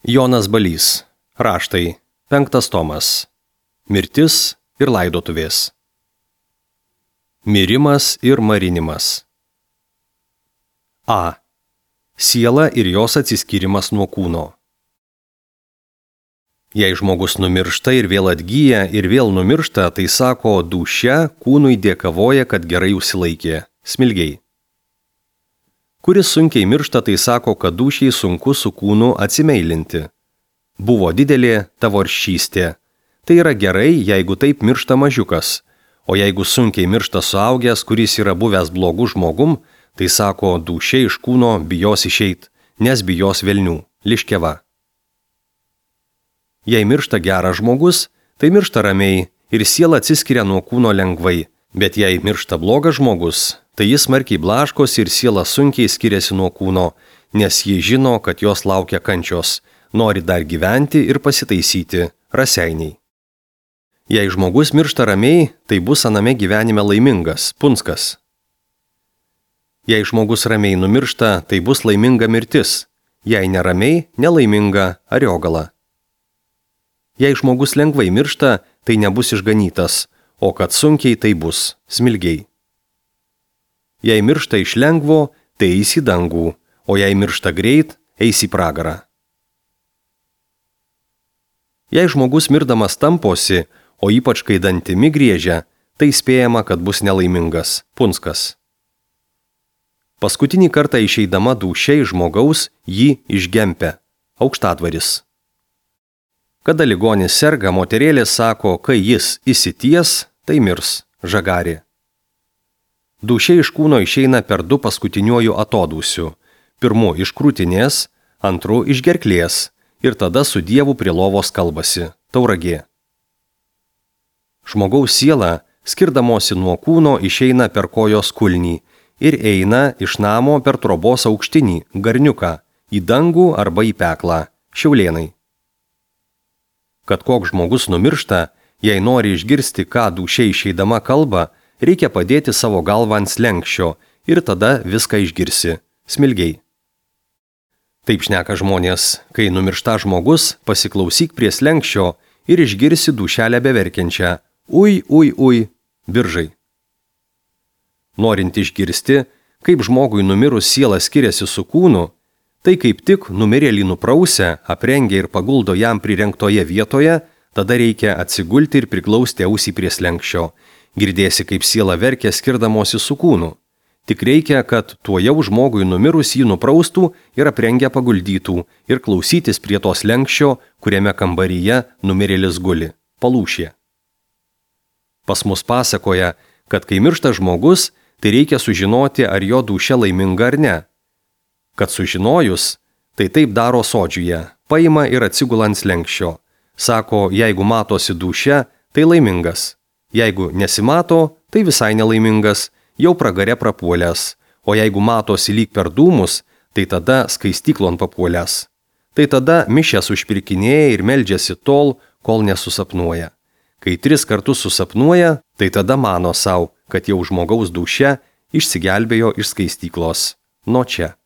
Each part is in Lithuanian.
Jonas Balys. Raštai. 5 tomas. Mirtis ir laidotuvės. Mirimas ir marinimas. A. Siela ir jos atsiskyrimas nuo kūno. Jei žmogus numiršta ir vėl atgyja ir vėl numiršta, tai sako, dūšia kūnui dėkavoja, kad gerai užsilaikė. Smilgiai. Kuris sunkiai miršta, tai sako, kad dūšiai sunku su kūnu atsimeilinti. Buvo didelė tavo aršystė. Tai yra gerai, jeigu taip miršta mažiukas. O jeigu sunkiai miršta suaugęs, kuris yra buvęs blogų žmogum, tai sako, dūšia iš kūno bijos išeit, nes bijos velnių. Liškeva. Jei miršta geras žmogus, tai miršta ramiai ir siela atsiskiria nuo kūno lengvai. Bet jei miršta blogas žmogus, tai jis smarkiai blaškosi ir siela sunkiai skiriasi nuo kūno, nes ji žino, kad jos laukia kančios, nori dar gyventi ir pasitaisyti, raseiniai. Jei žmogus miršta ramiai, tai bus aname gyvenime laimingas, punskas. Jei žmogus ramiai numiršta, tai bus laiminga mirtis, jei neramiai, nelaiminga ariogala. Jei žmogus lengvai miršta, tai nebus išganytas, o kad sunkiai tai bus, smilgiai. Jei miršta iš lengvo, tai eis į dangų, o jei miršta greit, eis į pragarą. Jei žmogus mirdamas tamposi, o ypač kai dantimi griežia, tai spėjama, kad bus nelaimingas, punskas. Paskutinį kartą išeidama dūšia iš žmogaus jį išgempia, aukštadvaris. Kada ligonis serga, moterėlė sako, kai jis įsities, tai mirs, žagarė. Dūšia iš kūno išeina per 2 paskutiniuoju atodūsiu. Pirmu iš krūtinės, antru iš gerklės ir tada su Dievu prie lovos kalbasi, tauragė. Žmogaus siela, skirdamosi nuo kūno, išeina per kojos kulnį ir eina iš namo per trobos aukštinį, garniuką, į dangų arba į peklą, šiaulėnai. Kad koks žmogus numiršta, jei nori išgirsti, ką dūšia išeidama kalba, reikia padėti savo galvą ant slenksčio ir tada viską išgirsi, smilgiai. Taip šneka žmonės, kai numiršta žmogus, pasiklausyk prie slenksčio ir išgirsi dūšelę beverkiančią, ui, biržai. Norint išgirsti, kaip žmogui numirus siela skiriasi su kūnu, tai kaip tik numirėlį nuprausia, aprengia ir paguldo jam prirengtoje vietoje, tada reikia atsigulti ir priglausti ausį prie slenksčio. Girdėsi, kaip siela verkia skirdamosi su kūnu. Tik reikia, kad tuojau žmogui numirus jį nupraustų ir aprengia paguldytų ir klausytis prie to slenksčio, kuriame kambaryje numirėlis guli, palūšė. Pas mus pasakoja, kad kai miršta žmogus, tai reikia sužinoti, ar jo dūšia laiminga ar ne. Kad sužinojus, tai taip daro sodžiuje, paima ir atsigula ant slenksčio. Sako, jeigu matosi dūšia, tai laimingas. Jeigu nesimato, tai visai nelaimingas, jau pragare prapuolęs. O jeigu matosi lyg per dūmus, tai tada skaistyklon papuolęs. Tai tada mišęs užpirkinėja ir meldžiasi tol, kol nesusapnuoja. Kai 3 kartus susapnuoja, tai tada mano savo, kad jau žmogaus dūšia išsigelbėjo iš skaistyklos. Nuo čia.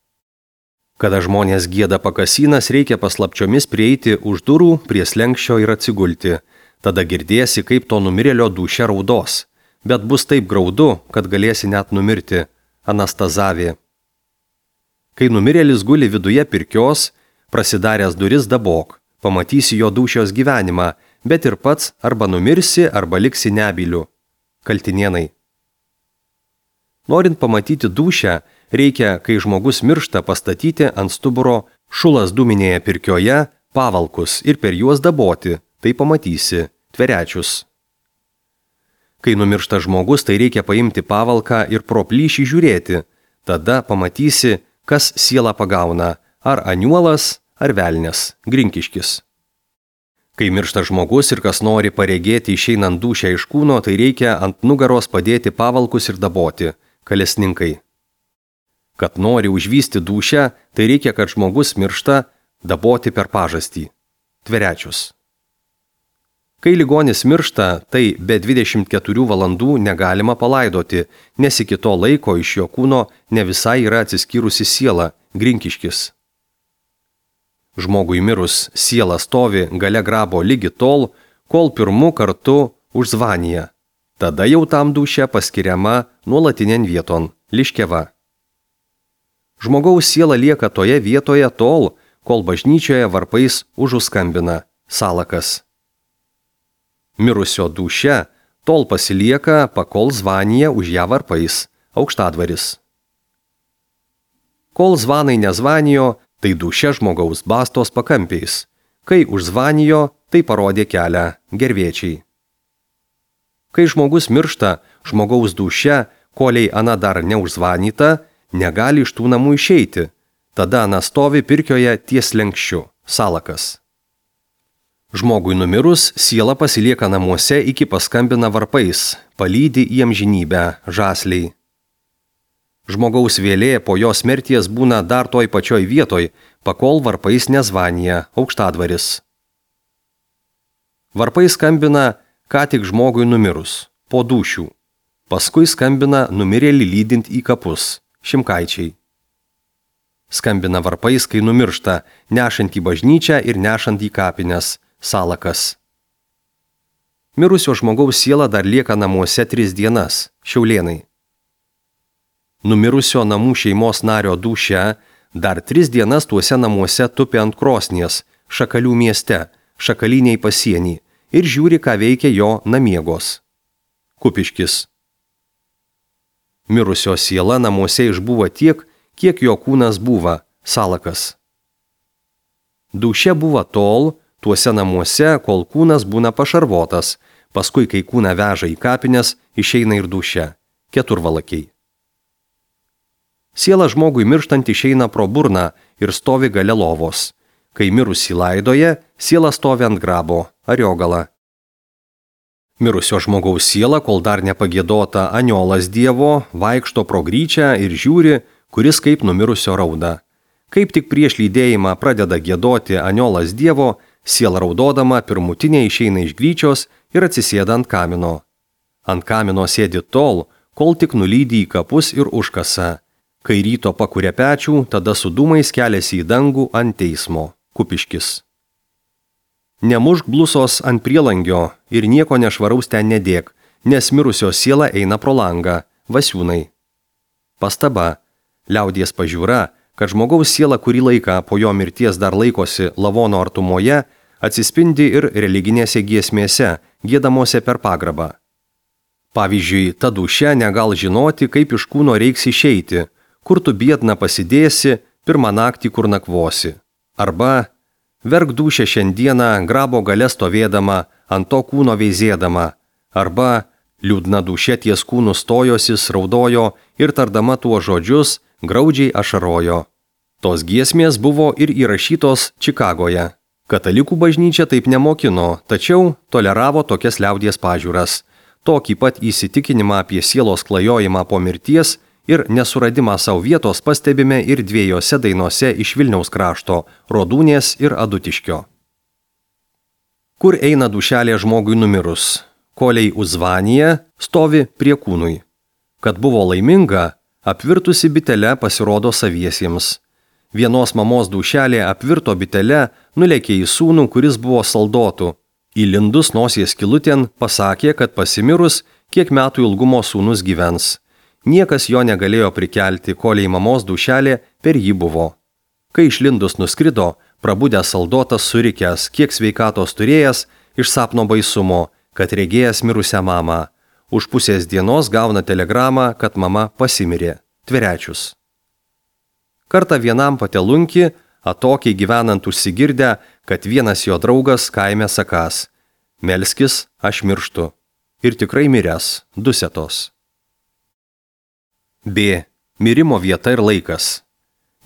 Kada žmonės gieda pakasinas, reikia paslapčiomis prieiti už durų prie slenksčio ir atsigulti. Tada girdėsi, kaip to numirėlio dūšia raudos. Bet bus taip graudu, kad galėsi net numirti. Anastazavė. Kai numirėlis guli viduje pirkios, prasidaręs duris dabok. Pamatysi jo dūšios gyvenimą, bet ir pats arba numirsi, arba liksi nebyliu. Kaltinėnai. Norint pamatyti dūšią, reikia, kai žmogus miršta, pastatyti ant stuburo šulas dūminėje pirkioje pavalkus ir per juos daboti, tai pamatysi, tverečius. Kai numiršta žmogus, tai reikia paimti pavalką ir pro plyšį žiūrėti, tada pamatysi, kas sielą pagauna, ar aniuolas, ar velnias, grinkiškis. Kai miršta žmogus ir kas nori paregėti išeinant dūšią iš kūno, tai reikia ant nugaros padėti pavalkus ir daboti, kalesninkai. Kad nori užvysti dūšią, tai reikia, kad žmogus miršta, daboti per pažastį. Tverečius. Kai ligonis miršta, tai be 24 valandų negalima palaidoti, nes iki to laiko iš jo kūno ne visai yra atsiskyrusi siela, grinkiškis. Žmogui mirus siela stovi gale grabo lygi tol, kol pirmu kartu užzvanija. Tada jau tam dūšia paskiriama nuolatinėn vieton – liškeva. Žmogaus siela lieka toje vietoje tol, kol bažnyčioje varpais užuskambina – salakas. Mirusio dūšia tol pasilieka, pakol zvanija už ją varpais – aukštadvaris. Kol zvanai nezvanijo, tai dūšia žmogaus bastos pakampiais. Kai užzvanijo, tai parodė kelią gervėčiai. Kai žmogus miršta, žmogaus dūšia, koliai ana dar neužzvanyta, negali iš tų namų išeiti. Tada ana stovi pirkioje ties lenkščiu – salakas. Žmogui numirus, siela pasilieka namuose iki paskambina varpais, palydi į amžinybę žasliai. Žmogaus vėlė po jos mirties būna dar toj pačioj vietoj, pakol varpais nezvanija aukštadvaris. Varpai skambina ką tik žmogui numirus, po dūšių. Paskui skambina numirėlį lydint į kapus, šimkaičiai. Skambina varpais, kai numiršta, nešant į bažnyčią ir nešant į kapines, salakas. Mirusio žmogaus siela dar lieka namuose 3 dienas, šiaulėnai. Numirusio namų šeimos nario dūšia dar 3 dienas tuose namuose tupi ant krosnies, Šakalių mieste, Šakaliniai pasienį ir žiūri, ką veikia jo namiegos. Kupiškis. Mirusio siela namuose išbuvo tiek, kiek jo kūnas buvo, salakas. Dūšia buvo tol, tuose namuose, kol kūnas būna pašarvotas, paskui, kai kūną veža į kapines, išeina ir dūšia, keturvalakiai. Siela žmogui mirštant išeina pro burną ir stovi gale lovos. Kai mirusį laidoja, siela stovi ant grabo, ariogala. Mirusio žmogaus siela, kol dar nepagiedota aniolas Dievo, vaikšto pro gryčią ir žiūri, kuris kaip numirusio rauda. Kaip tik prieš lydėjimą pradeda giedoti aniolas Dievo, siela raudodama pirmutinė išeina iš gryčios ir atsisėda ant kamino. Ant kamino sėdi tol, kol tik nulydi į kapus ir užkasa. Kai ryto pakuria pečių, tada su dūmais keliasi į dangų ant teismo, Kupiškis. Nemušk blusos ant prielangio ir nieko nešvaraus ten nedėk, nes mirusio siela eina pro langą, Vasiūnai. Pastaba, liaudies pažiūra, kad žmogaus siela kurį laiką po jo mirties dar laikosi lavono artumoje, atsispindi ir religinėse giesmėse, giedamose per pagrabą. Pavyzdžiui, ta dūšia negal žinoti, kaip iš kūno reiks išeiti, kur tu biedna pasidėsi, pirmą naktį kur nakvosi. Arba, verk dūšia šiandieną grabo gale stovėdama, ant to kūno veizėdama. Arba, liūdna dūšia ties kūnu stojosi, raudojo ir tardama tuo žodžius, graudžiai ašarojo. Tos giesmės buvo ir įrašytos Čikagoje. Katalikų bažnyčia taip nemokino, tačiau toleravo tokias liaudies pažiūras. Tokį pat įsitikinimą apie sielos klajojimą po mirties ir nesuradimą savo vietos pastebime ir 2 dainose iš Vilniaus krašto – Rodūnės ir Adutiškio. Kur eina dūšelė žmogui numirus? Koliai uzvanija stovi prie kūnui. Kad buvo laiminga, apvirtusi bitele pasirodo saviesiems. Vienos mamos dūšelė apvirto bitele nulėkė į sūnų, kuris buvo saldotų. Įlindus nosies skylutėn pasakė, kad pasimirus, kiek metų ilgumo sūnus gyvens. Niekas jo negalėjo prikelti, koliai mamos dūšelė per jį buvo. Kai išlindus nuskrido, prabudęs saldotas surikęs, kiek sveikatos turėjęs, iš sapno baisumo, kad regėjęs mirusią mamą. Už pusės dienos gauna telegramą, kad mama pasimirė. Tverečius. Kartą vienam patelunki, atokiai gyvenant užsigirdę, kad vienas jo draugas kaime sakas: melskis, aš mirštu. Ir tikrai miręs, dusetos. B. Mirimo vieta ir laikas.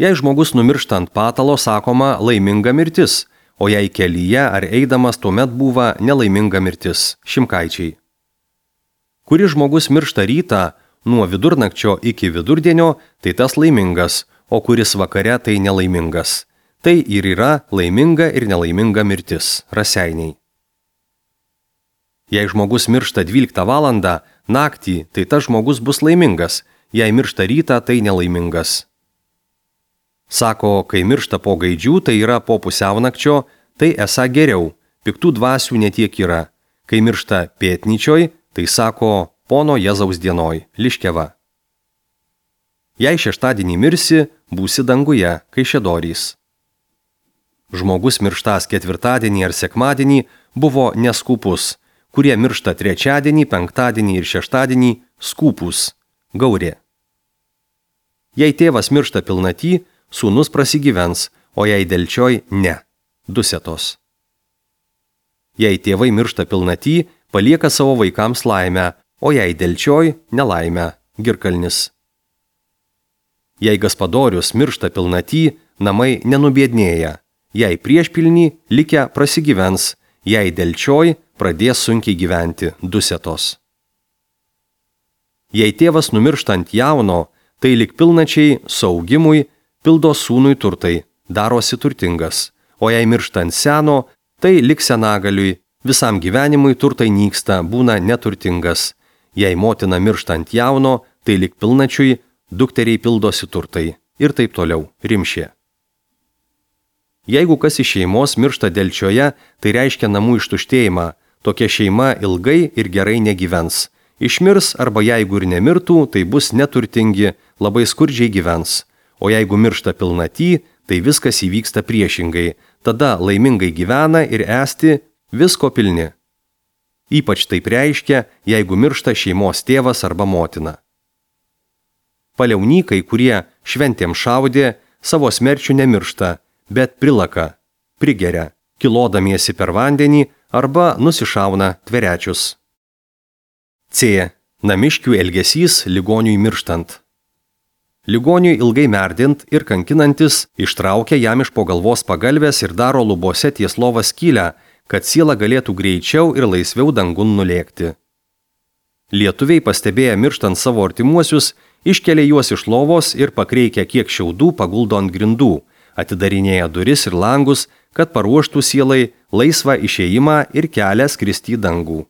Jei žmogus numiršta ant patalo, sakoma laiminga mirtis, o jei kelyje ar eidamas tuomet buvo nelaiminga mirtis, Šimkaičiai. Kuri žmogus miršta rytą, nuo vidurnakčio iki vidurdienio, tai tas laimingas, o kuris vakare, tai nelaimingas. Tai ir yra laiminga ir nelaiminga mirtis, Raseiniai. Jei žmogus miršta 12 valandą, naktį, tai tas žmogus bus laimingas, jei miršta rytą, tai nelaimingas. Sako, kai miršta po gaidžių, tai yra po pusiaunakčio, tai esą geriau, piktų dvasių netiek yra. Kai miršta pietnyčioj, tai sako, pono Jėzaus dienoj, liškeva. Jei šeštadienį mirsi, būsi danguje, kaišiadorys. Žmogus mirštas ketvirtadienį ar sekmadienį buvo neskupus, kurie miršta trečiadienį, penktadienį ir šeštadienį skupus, gaurė. Jei tėvas miršta pilnaty, sūnus prasigyvens, o jei delčioj ne, dusetos. Jei tėvai miršta pilnaty, palieka savo vaikams laimę, o jei delčioj nelaimę, girkalnis. Jei gaspadorius miršta pilnaty, namai nenubiednėja, jei priešpilnį likę prasigyvens, jei delčioj pradės sunkiai gyventi, dusetos. Jei tėvas numirštant jauno, tai lik pilnačiai saugimui pildo sūnui turtai, darosi turtingas, o jei mirštant seno, tai lik senagaliui, visam gyvenimui turtai nyksta, būna neturtingas. Jei motina mirštant jauno, tai lik pilnačiui, dukteriai pildosi turtai ir taip toliau, rimšė. Jeigu kas iš šeimos miršta delčioje, tai reiškia namų ištuštėjimą, tokia šeima ilgai ir gerai negyvens. Išmirs arba jeigu ir nemirtų, tai bus neturtingi, labai skurdžiai gyvens. O jeigu miršta pilnaty, tai viskas įvyksta priešingai, tada laimingai gyvena ir esti visko pilni. Ypač taip reiškia, jeigu miršta šeimos tėvas arba motina. Paliaunykai, kurie šventėm šaudė, savo smerčių nemiršta, bet prilaka, prigeria, kilodamiesi per vandenį arba nusišauna tverečius. C. Namiškių elgesys ligoniui mirštant. Ligoniui ilgai merdint ir kankinantis ištraukia jam iš po galvos pagalvės ir daro lubose ties lova skylę, kad siela galėtų greičiau ir laisviau dangun nulėkti. Lietuviai pastebėję mirštant savo artimuosius, iškelia juos iš lovos ir pakreikia kiek šiaudų paguldo ant grindų, atidarinėja duris ir langus, kad paruoštų sielai laisvą išėjimą ir kelią skristi į dangų.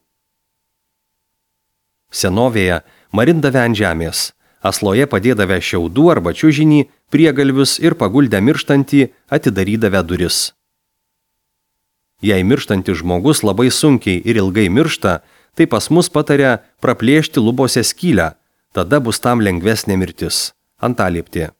Senovėje marindavę ant žemės, asloje padėdavę šiaudų arba čiužinį, priegalvius ir paguldę mirštantį atidarydavę duris. Jei mirštantis žmogus labai sunkiai ir ilgai miršta, tai pas mus pataria praplėšti lubose skylę, tada bus tam lengvesnė mirtis. Antalieptė.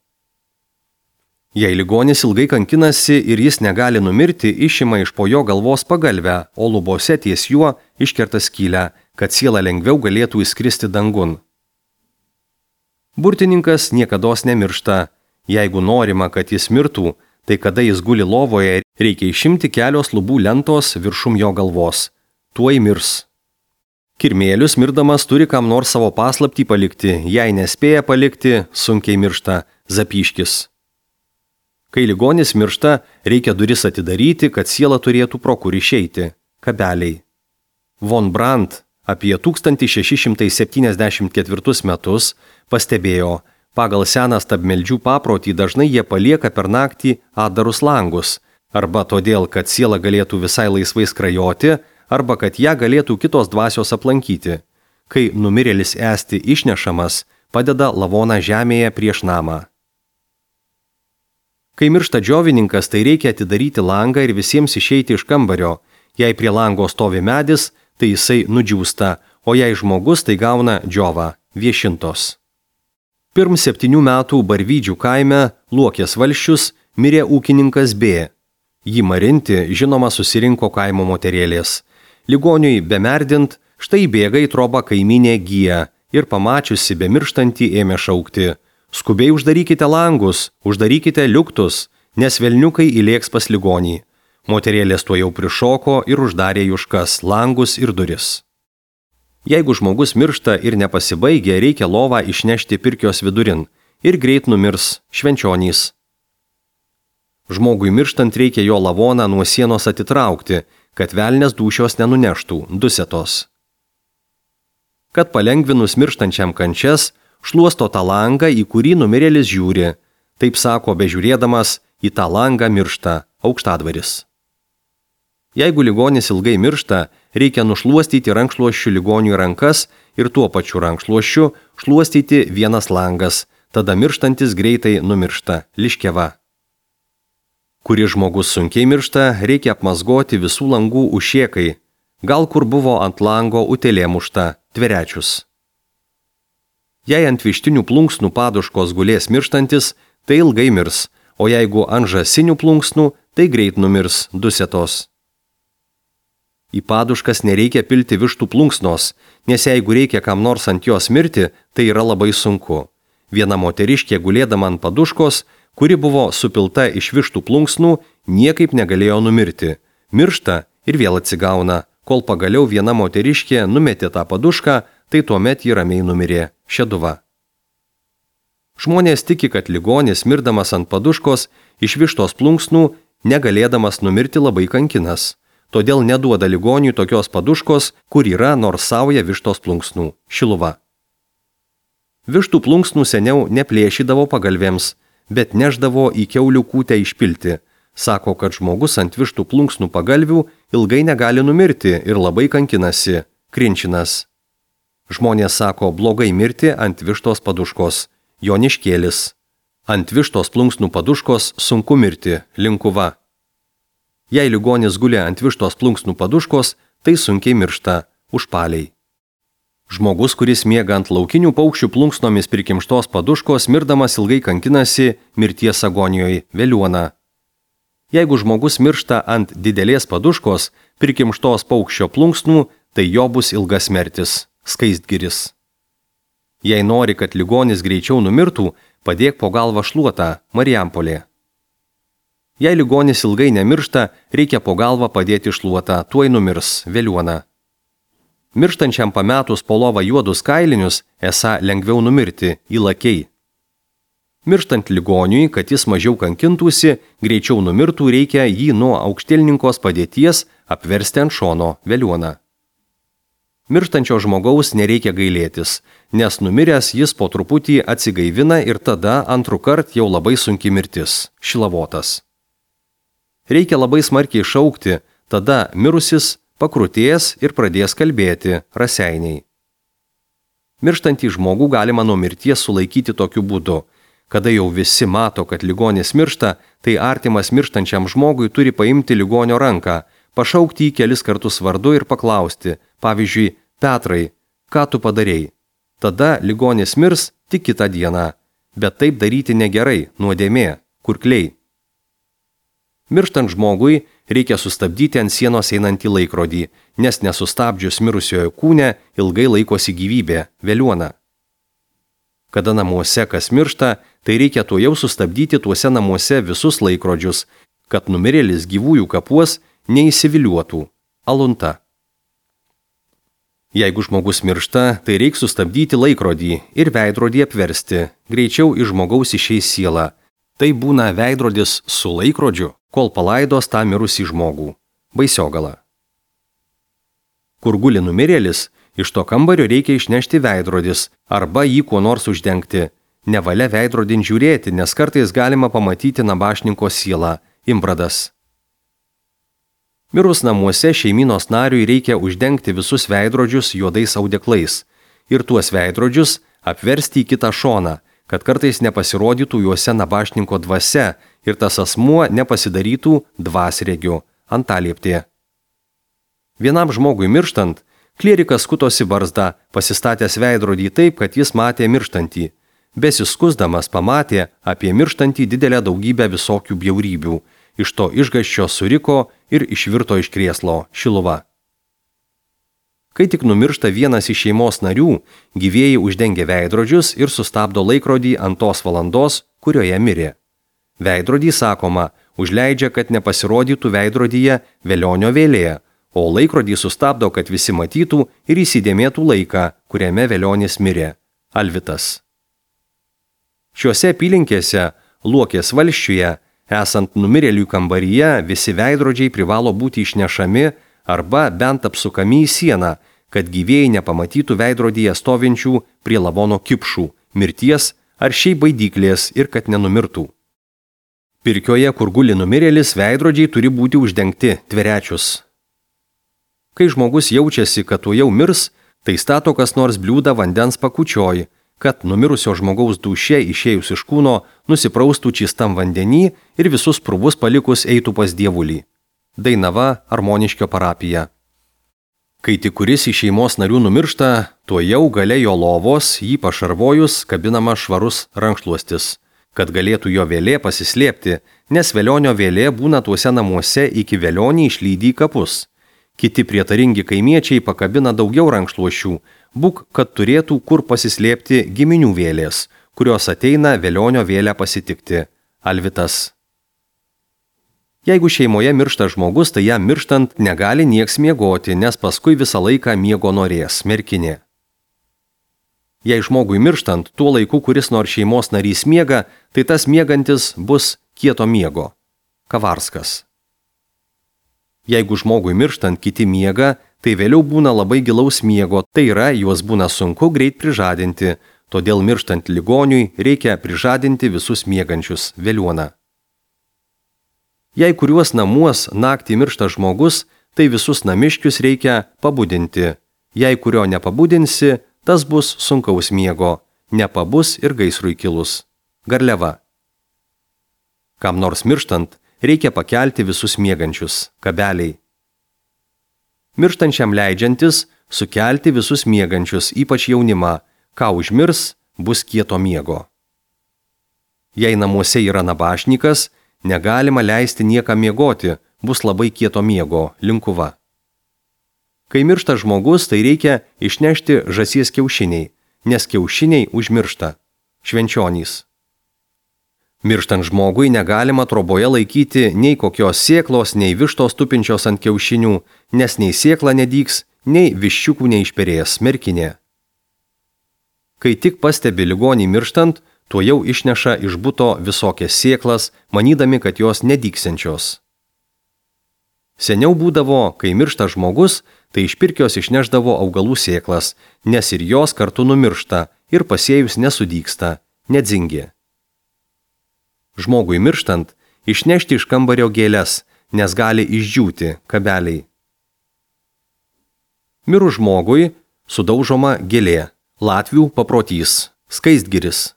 Jei ligonis ilgai kankinasi ir jis negali numirti, išima iš po jo galvos pagalvę, o lubose ties juo iškerta skylę, kad siela lengviau galėtų įskristi dangun. Burtininkas niekados nemiršta. Jeigu norima, kad jis mirtų, tai kada jis guli lovoje, reikia išimti kelios lubų lentos viršum jo galvos. Tuoj mirs. Kirmėlius mirdamas turi kam nors savo paslaptį palikti, jei nespėja palikti, sunkiai miršta, zapyškis. Kai ligonis miršta, reikia duris atidaryti, kad siela turėtų pro kur išeiti. Kabeliai. Von Brandt apie 1674 metus pastebėjo, pagal seną stabmeldžių paprotį dažnai jie palieka per naktį atdarus langus, arba todėl, kad siela galėtų visai laisvai skrajoti, arba kad ją galėtų kitos dvasios aplankyti. Kai numirėlis esti išnešamas, padeda lavoną žemėje prieš namą. Kai miršta džiovininkas, tai reikia atidaryti langą ir visiems išeiti iš kambario. Jei prie lango stovi medis, tai jisai nudžiūsta, o jei žmogus, tai gauna džiovą, viešintos. Pirm 7 metų Barvydžių kaime Luokės valsčius mirė ūkininkas B. Jį marinti, žinoma, susirinko kaimo moterėlės. Ligoniui bemerdint, štai bėga į trobą kaiminė Gija ir pamačiusi bemirštantį ėmė šaukti: skubiai uždarykite langus, uždarykite liuktus, nes velniukai įlėks pas ligonį. Moterėlės tuo jau prišoko ir uždarė juškas, langus ir duris. Jeigu žmogus miršta ir nepasibaigia, reikia lovą išnešti pirkios vidurin ir greit numirs švenčionys. Žmogui mirštant reikia jo lavoną nuo sienos atitraukti, kad velnės dūšios nenuneštų, dusetos. Kad palengvinus mirštančiam kančias, šluosto tą langą, į kurį numirėlis žiūri. Taip sako, bežiūrėdamas, į tą langą miršta, aukštadvaris. Jeigu ligonis ilgai miršta, reikia nušluostyti rankšluosčių ligoniui rankas ir tuo pačiu rankšluosčiu šluostyti vienas langas, tada mirštantis greitai numiršta, liškeva. Kuri žmogus sunkiai miršta, reikia apmazgoti visų langų užšėkai, gal kur buvo ant lango utėlė mušta, tverečius. Jei ant vištinių plunksnų paduškos gulės mirštantis, tai ilgai mirs, o jeigu ant žąsinių plunksnų, tai greit numirs dusetos. Į paduškas nereikia pilti vištų plunksnos, nes jeigu reikia kam nors ant jos mirti, tai yra labai sunku. Viena moteriškė gulėdama ant paduškos, kuri buvo supilta iš vištų plunksnų, niekaip negalėjo numirti. Miršta ir vėl atsigauna, kol pagaliau viena moteriškė numetė tą padušką, tai tuomet ji ramiai numirė. Šeduva. Žmonės tiki, kad ligonis, mirdamas ant paduškos, iš vištos plunksnų, negalėdamas numirti labai kankinas. Todėl neduoda ligoniui tokios paduškos, kur yra nors sauja vištos plunksnų. Šiluva. Vištų plunksnų seniau neplėšydavo pagalvėms, bet neždavo į kiaulių kūtę išpilti. Sako, kad žmogus ant vištų plunksnų pagalvių ilgai negali numirti ir labai kankinasi. Krinčinas. Žmonės sako blogai mirti ant vištos paduškos. Joniškėlis. Ant vištos plunksnų paduškos sunku mirti. Linkuva. Jei ligonis guli ant vištos plunksnų paduškos, tai sunkiai miršta. Užpaliai. Žmogus, kuris miega ant laukinių paukščių plunksnomis prikimštos paduškos, mirdamas ilgai kankinasi mirties agonijoje. Veliuona. Jeigu žmogus miršta ant didelės paduškos, prikimštos paukščio plunksnų, tai jo bus ilgas mirtis. Skaistgiris. Jei nori, kad ligonis greičiau numirtų, padėk po galvą šluotą. Marijampolė. Jei ligonis ilgai nemiršta, reikia po galvą padėti šluotą, tuoj numirs. Veliuona. Mirštančiam pametus po lovą juodus kailinius, esą lengviau numirti, įlakiai. Mirštant ligoniui, kad jis mažiau kankintųsi, greičiau numirtų, reikia jį nuo aukštielninkos padėties apversti ant šono. Veliuona. Mirštančio žmogaus nereikia gailėtis, nes numiręs jis po truputį atsigaivina ir tada antrukart jau labai sunki mirtis. Šilavotas. Reikia labai smarkiai šaukti, tada mirusis pakrutės ir pradės kalbėti. Raseiniai. Mirštantį žmogų galima nuo mirties sulaikyti tokiu būdu. Kada jau visi mato, kad ligonis miršta, tai artimas mirštančiam žmogui turi paimti ligonio ranką, pašaukti jį kelis kartus vardu ir paklausti, pavyzdžiui, Petrai, ką tu padarei? Tada ligonis mirs tik kitą dieną, bet taip daryti negerai, nuodėmė, kurkliai. Mirštant žmogui reikia sustabdyti ant sienos einantį laikrodį, nes nesustabdžius mirusiojo kūne ilgai laikosi gyvybė. Veliuona. Kada namuose kas miršta, tai reikia tuojau sustabdyti tuose namuose visus laikrodžius, kad numirėlis gyvųjų kapuos neįsiviliuotų. Alunta. Jeigu žmogus miršta, tai reikia sustabdyti laikrodį ir veidrodį apversti, greičiau iš žmogaus išeis siela. Tai būna veidrodis su laikrodžiu, kol palaidos tą mirusį žmogų. Baisiogala. Kur guli numirėlis, iš to kambario reikia išnešti veidrodis arba jį kuo nors uždengti. Nevalia veidrodin žiūrėti, nes kartais galima pamatyti nabašninko sielą. Imbradas. Mirus namuose šeimynos nariui reikia uždengti visus veidrodžius juodais audeklais ir tuos veidrodžius apversti į kitą šoną, kad kartais nepasirodytų juose nabašninko dvasia ir tas asmuo nepasidarytų dvasregiu. Antalieptė. Vienam žmogui mirštant, klierikas skutosi barzdą, pasistatęs veidrodį taip, kad jis matė mirštantį. Besiskusdamas pamatė apie mirštantį didelę daugybę visokių bjaurybių. Iš to išgąsčio suriko ir išvirto iš krėslo. Šiluva. Kai tik numiršta vienas iš šeimos narių, gyvieji uždengia veidrodžius ir sustabdo laikrodį ant tos valandos, kurioje mirė. Veidrodį, sakoma, užleidžia, kad nepasirodytų veidrodyje velionio vėlė, o laikrodį sustabdo, kad visi matytų ir įsidėmėtų laiką, kuriame velionis mirė. Alvitas. Šiuose apylinkėse, Luokės valsčiuje, esant numirėlių kambaryje, visi veidrodžiai privalo būti išnešami arba bent apsukami į sieną, kad gyvėjai nepamatytų veidrodyje stovinčių prie lavono kipšų, mirties ar šiaip baidyklės ir kad nenumirtų. Pirkioje, kur guli numirėlis, veidrodžiai turi būti uždengti, tverečius. Kai žmogus jaučiasi, kad tu jau mirs, tai stato kas nors bliūdą vandens pakučioj, kad numirusio žmogaus dūšė išėjus iš kūno nusipraustų čistam vandenį ir visus purvus palikus eitų pas Dievulį. Dainava, Armoniškio parapija. Kai tik kuris iš šeimos narių numiršta, tuojau gale jo lovos, jį pašarvojus, kabinama švarus rankšluostis, kad galėtų jo vėlė pasislėpti, nes velionio vėlė būna tuose namuose iki velionį išlydi į kapus. Kiti prietaringi kaimiečiai pakabina daugiau rankšluošių, būk, kad turėtų kur pasislėpti giminių vėlės, kurios ateina velionio vėlę pasitikti. Alvitas. Jeigu šeimoje miršta žmogus, tai jam mirštant negali nieks miegoti, nes paskui visą laiką miego norės. Merkinė. Jei žmogui mirštant, tuo laiku, kuris nors šeimos narys miega, tai tas miegantis bus kieto miego. Kavarskas. Jeigu žmogui mirštant kiti miega, tai vėliau būna labai gilaus miego, tai yra, juos būna sunku greit prižadinti, todėl mirštant ligoniui reikia prižadinti visus miegančius. Veliuona. Jei kuriuos namuos naktį miršta žmogus, tai visus namiškius reikia pabudinti. Jei kurio nepabudinsi, tas bus sunkaus miego, nepabus ir gaisrui kilus. Garliava. Kam nors mirštant, reikia pakelti visus miegančius. Kabeliai. Mirštančiam leidžiantis, sukelti visus miegančius, ypač jaunimą. Ką užmirs, bus kieto miego. Jei namuose yra nabašnikas, negalima leisti niekam miegoti, bus labai kieto miego. Linkuva. Kai miršta žmogus, tai reikia išnešti žąsies kiaušiniai, nes kiaušiniai užmiršta. Švenčionys. Mirštant žmogui negalima troboje laikyti nei kokios sėklos, nei vištos tupinčios ant kiaušinių, nes nei sėkla nedygs, nei viščiukų neišperės. Merkinė. Kai tik pastebi ligonį mirštant, tuo jau išneša iš buto visokias sėklas, manydami, kad jos nedygsiančios. Seniau būdavo, kai miršta žmogus, tai iš pirkios išneždavo augalų sėklas, nes ir jos kartu numiršta ir pasėjus nesudygsta, nedzingi. Žmogui mirštant, išnešti iš kambario gėles, nes gali išdžiūti. Kabeliai. Mirus žmogui sudaužoma gėlė. Latvių paprotys. Skaistgiris.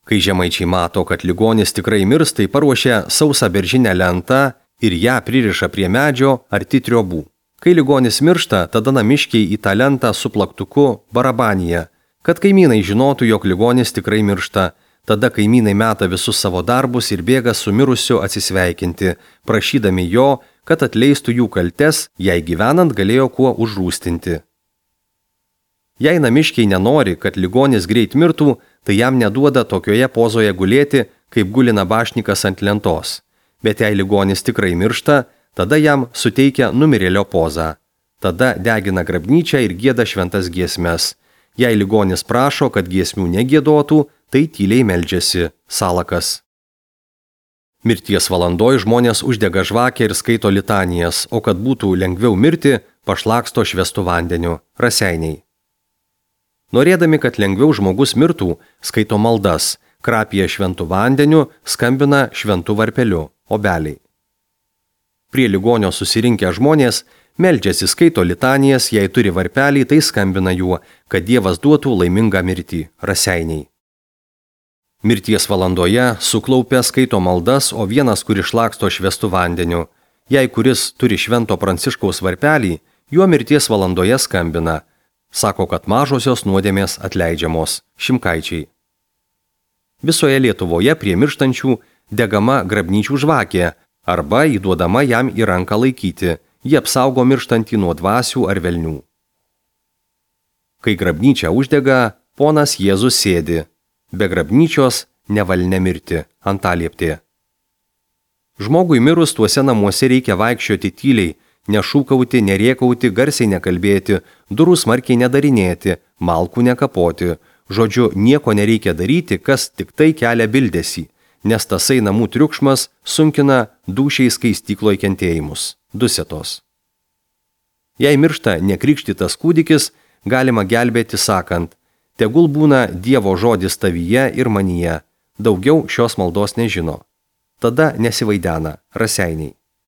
Kai žemaičiai mato, kad ligonis tikrai mirs, tai paruošia sausą beržinę lentą ir ją pririša prie medžio arti triobų. Kai ligonis miršta, tada namiškiai į tą lentą su plaktuku barabanija, kad kaimynai žinotų, jog ligonis tikrai miršta. Tada kaimynai meta visus savo darbus ir bėga su mirusiu atsisveikinti, prašydami jo, kad atleistų jų kaltes, jei gyvenant galėjo kuo užrūstinti. Jei namiškiai nenori, kad ligonis greit mirtų, tai jam neduoda tokioje pozoje gulėti, kaip guli nabašnikas ant lentos. Bet jei ligonis tikrai miršta, tada jam suteikia numirėlio pozą. Tada degina grabnyčią ir gieda šventas giesmes. Jei ligonis prašo, kad giesmių negiedotų, tai tyliai meldžiasi. Salakas. Mirties valandoj žmonės uždega žvakę ir skaito litanijas, o kad būtų lengviau mirti, pašlaksto švęstu vandeniu. Raseiniai. Norėdami, kad lengviau žmogus mirtų, skaito maldas, krapija šventų vandeniu, skambina šventų varpeliu. Obeliai. Prie ligonio susirinkę žmonės meldžiasi, skaito litanijas, jei turi varpelį, tai skambina juo, kad Dievas duotų laimingą mirtį. Raseiniai. Mirties valandoje suklaupę skaito maldas, o vienas, kuris šlaksto švęstu vandeniu. Jei kuris turi švento Pranciškaus varpelį, juo mirties valandoje skambina. Sako, kad mažosios nuodėmės atleidžiamos. Šimkaičiai. Visoje Lietuvoje prie mirštančių degama grabnyčių žvakė arba įduodama jam į ranką laikyti. Jie apsaugo mirštantį nuo dvasių ar velnių. Kai grabnyčia uždega, ponas Jėzus sėdi. Be grabnyčios nevalia mirti. Antalieptė. Žmogui mirus tuose namuose reikia vaikščioti tyliai, nešūkauti, nerėkauti, garsiai nekalbėti, durų smarkiai nedarinėti, malkų nekapoti. Žodžiu, nieko nereikia daryti, kas tik tai kelia bildesį, nes tasai namų triukšmas sunkina dūšiai skaistykloj kentėjimus. Dusetos. Jei miršta nekrikštytas kūdikis, galima gelbėti sakant, tegul būna Dievo žodis tavyje ir manyje, daugiau šios maldos nežino. Tada nesivaidena. Raseiniai.